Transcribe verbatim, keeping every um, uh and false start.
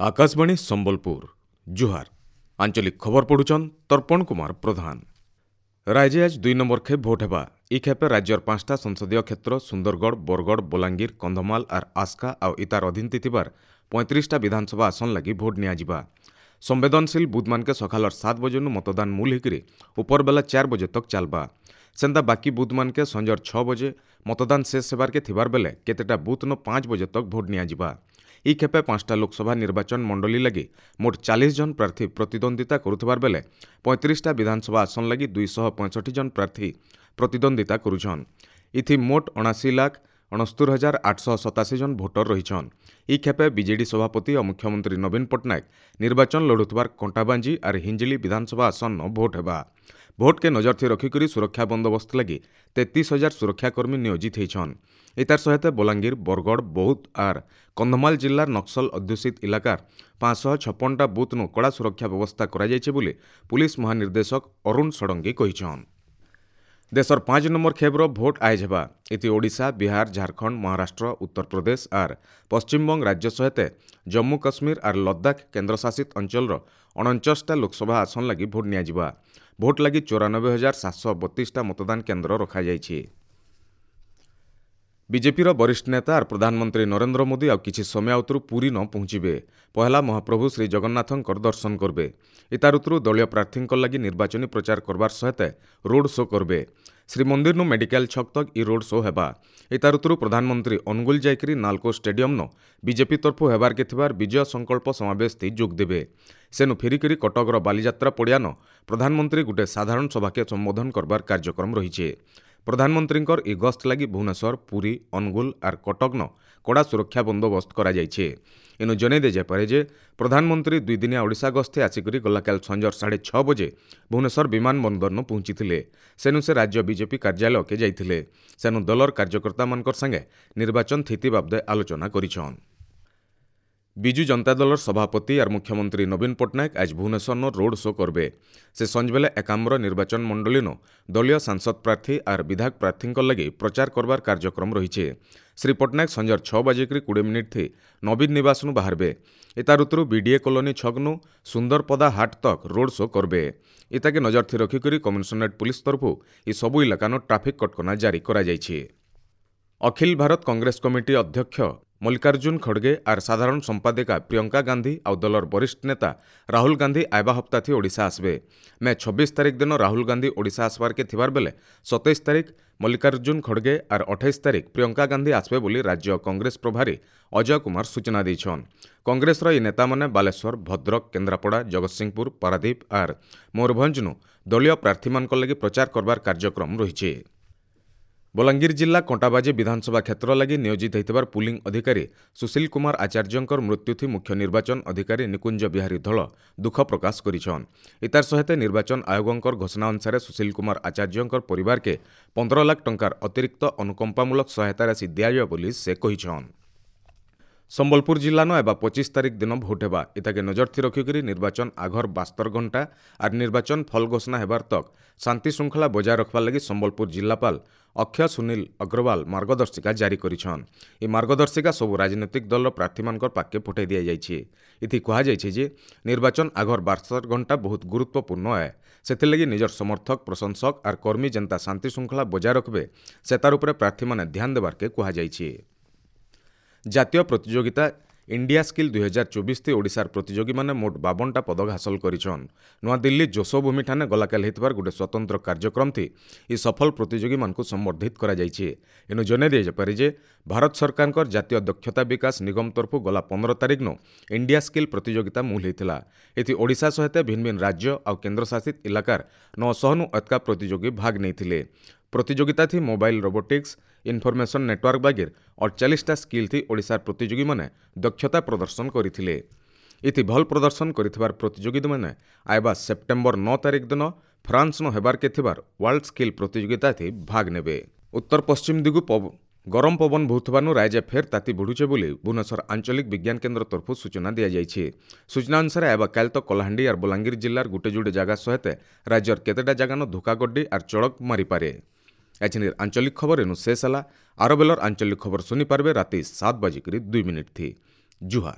ଆକାଶବାଣୀ ସମ୍ବଲପୁର ଜୁହାର ଆଞ୍ଚଳିକ ଖବର ପଢୁଛନ୍ ତର୍ପଣ କୁମାର ପ୍ରଧାନ ରାଜ୍ୟ ଆଜ ଦୁଇ ନମ୍ବର ଖେପ୍ ଭୋଟ ହେବା ଇ ଖେପେ ରାଜ୍ୟର ପାଞ୍ଚଟା ସଂସଦୀୟ କ୍ଷେତ୍ର ସୁନ୍ଦରଗଡ଼ ବରଗଡ଼ ବଲାଙ୍ଗୀର କନ୍ଧମାଳ ଆର୍ ଆସ୍କା ଆଉ ଇତାର ଅଧୀନତି ଥିବାର ପଇଁତିରିଶଟା ବିଧାନସଭା ଆସନ ଲାଗି ଭୋଟ ନିଆଯିବା ସମ୍ବେଦନଶୀଳ ବୁଥମାନକେ ସକାଳର ସାତ ବଜେନୁ ମତଦାନ ମୂଲ ହେଇକରି ଉପରବେଲା ଚାର ବଜେ ତକ୍ ଚାଲବା ସେନ୍ତା ବାକି ବୁଥମାନକେ ସଞ୍ଜର ଛଅ ବଜେ ମତଦାନ ଶେଷ ହେବାର୍କେ ଥିବାର ବେଲେ କେତେଟା ବୁଥ୍ନ ପାଞ୍ଚ ବଜେ ତକ୍ ଭୋଟ ନିଆଯିବା ଇ ଖେପେ ପାଞ୍ଚଟା ଲୋକସଭା ନିର୍ବାଚନ ମଣ୍ଡଳୀ ଲାଗି ମୋଟ ଚାଳିଶ ଜଣ ପ୍ରାର୍ଥୀ ପ୍ରତିଦ୍ୱନ୍ଦିତା କରୁଥିବାର ବେଲେ ପଇଁତିରିଶଟା ବିଧାନସଭା ଆସନ ଲାଗି ଦୁଇଶହ ପଞ୍ଚଷଠି ଜଣ ପ୍ରାର୍ଥୀ ପ୍ରତିଦ୍ୱନ୍ଦିତା କରୁଛନ୍ ଇଥି ମୋଟ ଅଣାଅଶୀ ଲାଖ ଅଣସ୍ତୁର ହଜାର ଆଠଶହ ସତାଅଶୀ ଜଣ ଭୋଟର ରହିଛନ୍ ଇ ଖେପେ ବିଜେଡି ସଭାପତି ଓ ମୁଖ୍ୟମନ୍ତ୍ରୀ ନବୀନ ପଟ୍ଟନାୟକ ନିର୍ବାଚନ ଲଢ଼ୁଥିବାର କଣ୍ଟାବାଞ୍ଜି ଆର୍ ହିଞ୍ଜିଳି ବିଧାନସଭା ଆସନ୍ନ ଭୋଟ ହେବା ଭୋଟକେ ନଜରଥି ରଖିକରି ସୁରକ୍ଷା ବନ୍ଦୋବସ୍ତ ଲାଗି ତେତିଶ ହଜାର ସୁରକ୍ଷାକର୍ମୀ ନିୟୋଜିତ ହେଇଛନ୍ ଏତାର ସହିତ ବଲାଙ୍ଗୀର ବରଗଡ଼ ବୌଦ୍ଧ ଆର୍ କନ୍ଧମାଳ ଜିଲ୍ଲାର ନକ୍ସଲ ଅଧ୍ୟୁଷିତ ଇଲାକାର ପାଞ୍ଚଶହ ଛପନଟା ବୁଥ୍ନୁ କଡ଼ା ସୁରକ୍ଷା ବ୍ୟବସ୍ଥା କରାଯାଇଛି ବୋଲି ପୁଲିସ ମହାନିର୍ଦ୍ଦେଶକ ଅରୁଣ ଷଡ଼ଙ୍ଗୀ କହିଛନ୍ ଦେଶର ପାଞ୍ଚ ନମ୍ବର ଖେପ୍ର ଭୋଟ ଆୟଜ ହେବା ଏଥି ଓଡ଼ିଶା ବିହାର ଝାଡ଼ଖଣ୍ଡ ମହାରାଷ୍ଟ୍ର ଉତ୍ତରପ୍ରଦେଶ ଆର୍ ପଶ୍ଚିମବଙ୍ଗ ରାଜ୍ୟ ସହିତ ଜମ୍ମୁ କାଶ୍ମୀର ଆର୍ ଲଦାଖ କେନ୍ଦ୍ରଶାସିତ ଅଞ୍ଚଳର ଅଣଚାଶଟା ଲୋକସଭା ଆସନ ଲାଗି ଭୋଟ ନିଆଯିବା ଭୋଟ ଲାଗି ଚଉରାନବେ ହଜାର ସାତଶହ ବତିଶଟା ମତଦାନ କେନ୍ଦ୍ର ରଖାଯାଇଛି ବିଜେପିର ବରିଷ୍ଠ ନେତା ଆର୍ ପ୍ରଧାନମନ୍ତ୍ରୀ ନରେନ୍ଦ୍ର ମୋଦି ଆଉ କିଛି ସମୟ ଆଉତରୁ ପୁରୀ ନ ପହଞ୍ଚିବେ ପହଲା ମହାପ୍ରଭୁ ଶ୍ରୀ ଜଗନ୍ନାଥଙ୍କର ଦର୍ଶନ କରବେ ଇତାର ଉତରୁ ଦଳୀୟ ପ୍ରାର୍ଥୀଙ୍କ ଲାଗି ନିର୍ବାଚନୀ ପ୍ରଚାର କରବାର ସହିତ ରୋଡ୍ ଶୋ କରବେ ଶ୍ରୀମନ୍ଦିରନୁ ମେଡିକାଲ ଛକ ତକ୍ ଇ ରୋଡ୍ ଶୋ ହେବା ଇତାର ଉତରୁ ପ୍ରଧାନମନ୍ତ୍ରୀ ଅନୁଗୁଳ ଯାଇକରି ନାଲକୋ ଷ୍ଟାଡିୟମ୍ନ ବିଜେପି ତରଫୁ ହେବାର୍କେ ଥିବାର ବିଜୟ ସଂକଳ୍ପ ସମାବେଶ ଥି ଯୋଗ ଦେବେ ସେନୁ ଫେରିକରି କଟକର ବାଲିଯାତ୍ରା ପଡ଼ିଆନ ପ୍ରଧାନମନ୍ତ୍ରୀ ଗୁଟେ ସାଧାରଣ ସଭାକେ ସମ୍ବୋଧନ କରବାର କାର୍ଯ୍ୟକ୍ରମ ରହିଛେ ପ୍ରଧାନମନ୍ତ୍ରୀଙ୍କର ଇ ଗସ୍ତ ଲାଗି ଭୁବନେଶ୍ୱର ପୁରୀ ଅନୁଗୁଳ ଆର୍ କଟକନ କଡ଼ା ସୁରକ୍ଷା ବନ୍ଦୋବସ୍ତ କରାଯାଇଛି ଏନୁ ଜଣାଇ ଦିଆଯାଇପାରେ ଯେ ପ୍ରଧାନମନ୍ତ୍ରୀ ଦୁଇଦିନିଆ ଓଡ଼ିଶା ଗସ୍ତେ ଆସିକରି ଗଲାକାଲି ସଞ୍ଜର ସାଢ଼େ ଛଅ ବଜେ ଭୁବନେଶ୍ୱର ବିମାନ ବନ୍ଦରନୁ ପହଞ୍ଚିଥିଲେ ସେନୁ ସେ ରାଜ୍ୟ ବିଜେପି କାର୍ଯ୍ୟାଳୟକେ ଯାଇଥିଲେ ସେନୁ ଦଳର କାର୍ଯ୍ୟକର୍ତ୍ତାମାନଙ୍କର ସାଙ୍ଗେ ନିର୍ବାଚନ ସ୍ଥିତି ବାବଦେ ଆଲୋଚନା କରିଛନ୍ ବିଜୁ ଜନତା ଦଳର ସଭାପତି ଆର୍ ମୁଖ୍ୟମନ୍ତ୍ରୀ ନବୀନ ପଟ୍ଟନାୟକ ଆଜ ଭୁବନେଶ୍ୱରନ ରୋଡ୍ ଶୋ କରବେ ସେ ସଞ୍ଜବେଲେ ଏକାମ୍ର ନିର୍ବାଚନ ମଣ୍ଡଳୀନ ଦଳୀୟ ସାଂସଦ ପ୍ରାର୍ଥୀ ଆର୍ ବିଧାୟକ ପ୍ରାର୍ଥୀଙ୍କ ଲାଗି ପ୍ରଚାର କରବାର କାର୍ଯ୍ୟକ୍ରମ ରହିଛେ ଶ୍ରୀ ପଟ୍ଟନାୟକ ସଞ୍ଜର ଛଅ ବାଜିକରି କୋଡ଼ିଏ ମିନିଟ୍ ଥି ନବୀନ ନିବାସନୁ ବାହାରବେ ଏତାର ଉତରୁ ବିଡିଏ କଲୋନୀ ଛକନୁ ସୁନ୍ଦରପଦା ହାଟ ତକ୍ ରୋଡ୍ ଶୋ କରବେ ଇତାକେ ନଜର ଥି ରଖିକରି କମିଶନରେଟ୍ ପୁଲିସ ତରଫୁ ଏ ସବୁ ଇଲାକାନୁ ଟ୍ରାଫିକ୍ କଟକଣା ଜାରି କରାଯାଇଛି ଅଖିଳ ଭାରତ କଂଗ୍ରେସ କମିଟି ଅଧ୍ୟକ୍ଷ ମଲ୍ଲିକାର୍ଜୁନ ଖଡ଼ଗେ ଆର୍ ସାଧାରଣ ସମ୍ପାଦିକା ପ୍ରିୟଙ୍କା ଗାନ୍ଧୀ ଆଉ ଦଳର ବରିଷ୍ଠ ନେତା ରାହୁଲ ଗାନ୍ଧୀ ଆଇବା ହପ୍ତାଥି ଓଡ଼ିଶା ଆସିବେ ମେ ଛବିଶ ତାରିଖ ଦିନ ରାହୁଲ ଗାନ୍ଧୀ ଓଡ଼ିଶା ଆସିବାର୍କେ ଥିବାର ବେଲେ ସତେଇଶ ତାରିଖ ମଲ୍ଲିକାର୍ଜୁନ ଖଡ଼ଗେ ଆର୍ ଅଠେଇଶ ତାରିଖ ପ୍ରିୟଙ୍କା ଗାନ୍ଧୀ ଆସିବେ ବୋଲି ରାଜ୍ୟ କଂଗ୍ରେସ ପ୍ରଭାରୀ ଅଜୟ କୁମାର ସୂଚନା ଦେଇଛନ୍ କଂଗ୍ରେସର ଏହି ନେତାମାନେ ବାଲେଶ୍ୱର ଭଦ୍ରକ କେନ୍ଦ୍ରାପଡ଼ା ଜଗତସିଂହପୁର ପାରାଦୀପ ଆର୍ ମୟୂରଭଞ୍ଜନୁ ଦଳୀୟ ପ୍ରାର୍ଥୀମାନଙ୍କ ଲାଗି ପ୍ରଚାର କରବାର କାର୍ଯ୍ୟକ୍ରମ ରହିଛି ବଲାଙ୍ଗୀର ଜିଲ୍ଲା କଣ୍ଟାବାଜି ବିଧାନସଭା କ୍ଷେତ୍ର ଲାଗି ନିୟୋଜିତ ହୋଇଥିବାର ପୁଲିଂ ଅଧିକାରୀ ସୁଶୀଲ କୁମାର ଆଚାର୍ଯ୍ୟଙ୍କର ମୃତ୍ୟୁଥି ମୁଖ୍ୟ ନିର୍ବାଚନ ଅଧିକାରୀ ନିକୁଞ୍ଜ ବିହାରୀ ଧଳ ଦୁଃଖ ପ୍ରକାଶ କରିଛନ୍ ଇତାର ସହିତ ନିର୍ବାଚନ ଆୟୋଗଙ୍କର ଘୋଷଣା ଅନୁସାରେ ସୁଶୀଲ କୁମାର ଆଚାର୍ଯ୍ୟଙ୍କର ପରିବାରକେ ପନ୍ଦର ଲାଖ ଟଙ୍କାର ଅତିରିକ୍ତ ଅନୁକମ୍ପାମୂଳକ ସହାୟତା ରାଶି ଦିଆଯିବ ବୋଲି ସେ କହିଛନ୍ ସମ୍ବଲପୁର ଜିଲ୍ଲାନ ଏବା ପଚିଶ ତାରିଖ ଦିନ ଭୋଟ ହେବା ଇତାକେ ନଜରଥି ରଖିକରି ନିର୍ବାଚନ ଆଘର ବାସ୍ତର ଘଣ୍ଟା ଆର୍ ନିର୍ବାଚନ ଫଲ ଘୋଷଣା ହେବାର ତକ୍ ଶାନ୍ତି ଶୃଙ୍ଖଳା ବଜାୟ ରଖବାର୍ ଲାଗି ସମ୍ବଲପୁର ଜିଲ୍ଲାପାଳ ଅକ୍ଷୟ ସୁନୀଲ ଅଗ୍ରୱାଲ ମାର୍ଗଦର୍ଶିକା ଜାରି କରିଛନ୍ ଏ ମାର୍ଗଦର୍ଶିକା ସବୁ ରାଜନୈତିକ ଦଳର ପ୍ରାର୍ଥୀମାନଙ୍କର ପାଖକେ ପଠାଇ ଦିଆଯାଇଛି ଏଥି କୁହାଯାଇଛି ଯେ ନିର୍ବାଚନ ଆଘର ବାସ୍ତର ଘଣ୍ଟା ବହୁତ ଗୁରୁତ୍ୱପୂର୍ଣ୍ଣ ଏ ସେଥିର୍ଲାଗି ନିଜର ସମର୍ଥକ ପ୍ରଶଂସକ ଆର୍ କର୍ମୀ ଯେନ୍ତା ଶାନ୍ତି ଶୃଙ୍ଖଳା ବଜାୟ ରଖବେ ସେତାର ଉପରେ ପ୍ରାର୍ଥୀମାନେ ଧ୍ୟାନ ଦେବାର୍କେ କୁହାଯାଇଛି ଜାତୀୟ ପ୍ରତିଯୋଗିତା ଇଣ୍ଡିଆ ସ୍କିଲ୍ ଦୁଇହଜାର ଚବିଶ ଥି ଓଡ଼ିଶାର ପ୍ରତିଯୋଗୀମାନେ ମୋଟ ବାବନଟା ପଦକ ହାସଲ କରିଛନ୍ ନୂଆଦିଲ୍ଲୀ ଯଶୋଭୂମିଠାନେ ଗଲାକାଲି ହେଇଥିବାର ଗୋଟେ ସ୍ୱତନ୍ତ୍ର କାର୍ଯ୍ୟକ୍ରମ ଥି ଇ ସଫଳ ପ୍ରତିଯୋଗୀମାନଙ୍କୁ ସମ୍ବର୍ଦ୍ଧିତ କରାଯାଇଛି ଏନୁ ଜଣାଇ ଦିଆଯାଇପାରେ ଯେ ଭାରତ ସରକାରଙ୍କର ଜାତୀୟ ଦକ୍ଷତା ବିକାଶ ନିଗମ ତରଫୁ ଗଲା ପନ୍ଦର ତାରିଖନୁ ଇଣ୍ଡିଆ ସ୍କିଲ୍ ପ୍ରତିଯୋଗିତା ମୂଲ ହେଇଥିଲା ଏଥି ଓଡ଼ିଶା ସହିତ ଭିନ୍ନ ଭିନ୍ନ ରାଜ୍ୟ ଆଉ କେନ୍ଦ୍ରଶାସିତ ଇଲାକାର ନଅଶହନୁ ଅତକା ପ୍ରତିଯୋଗୀ ଭାଗ ନେଇଥିଲେ ପ୍ରତିଯୋଗିତା ଥି ମୋବାଇଲ ରୋବୋଟିକ୍ସ ଇନଫର୍ମେସନ୍ ନେଟୱାର୍କ ବାଗିର ଅଡ଼ଚାଳିଶଟା ସ୍କିଲ୍ ଥି ଓଡ଼ିଶାର ପ୍ରତିଯୋଗୀମାନେ ଦକ୍ଷତା ପ୍ରଦର୍ଶନ କରିଥିଲେ ଏଥି ଭଲ ପ୍ରଦର୍ଶନ କରିଥିବାର ପ୍ରତିଯୋଗୀମାନେ ଆଇବା ସେପ୍ଟେମ୍ବର ନଅ ତାରିଖ ଦିନ ଫ୍ରାନ୍ସନ ହେବାର୍କେ ଥିବାର ୱାର୍ଲଡ ସ୍କିଲ୍ ପ୍ରତିଯୋଗିତା ଥି ଭାଗ ନେବେ ଉତ୍ତର ପଶ୍ଚିମ ଦିଗୁ ଗରମ ପବନ ବହୁଥିବାନୁ ରାଜ୍ୟ ଫେର୍ ତାତି ବଢ଼ୁଛେ ବୋଲି ଭୁବନେଶ୍ୱର ଆଞ୍ଚଳିକ ବିଜ୍ଞାନ କେନ୍ଦ୍ର ତରଫରୁ ସୂଚନା ଦିଆଯାଇଛି ସୂଚନା ଅନୁସାରେ ଆଇବା କାଲି ତ କଳାହାଣ୍ଡି ଆର୍ ବଲାଙ୍ଗୀର ଜିଲ୍ଲାର ଗୁଟେ ଯୁଡ଼େ ଜାଗା ସହିତ ରାଜ୍ୟର କେତେଟା ଜାଗାନ ଧୋକାଗड्डी ଆର୍ ଚଡ଼କ ମାରିପାରେ ଏଛିନିର ଆଞ୍ଚଳିକ ଖବର ଏନୁ ଶେଷ ହେଲା ଆର ବେଲର ଆଞ୍ଚଳିକ ଖବର ଶୁଣିପାରିବେ ରାତି ସାତ ବାଜିକରି ଦୁଇ ମିନିଟ୍ ଥି ଜୁହାର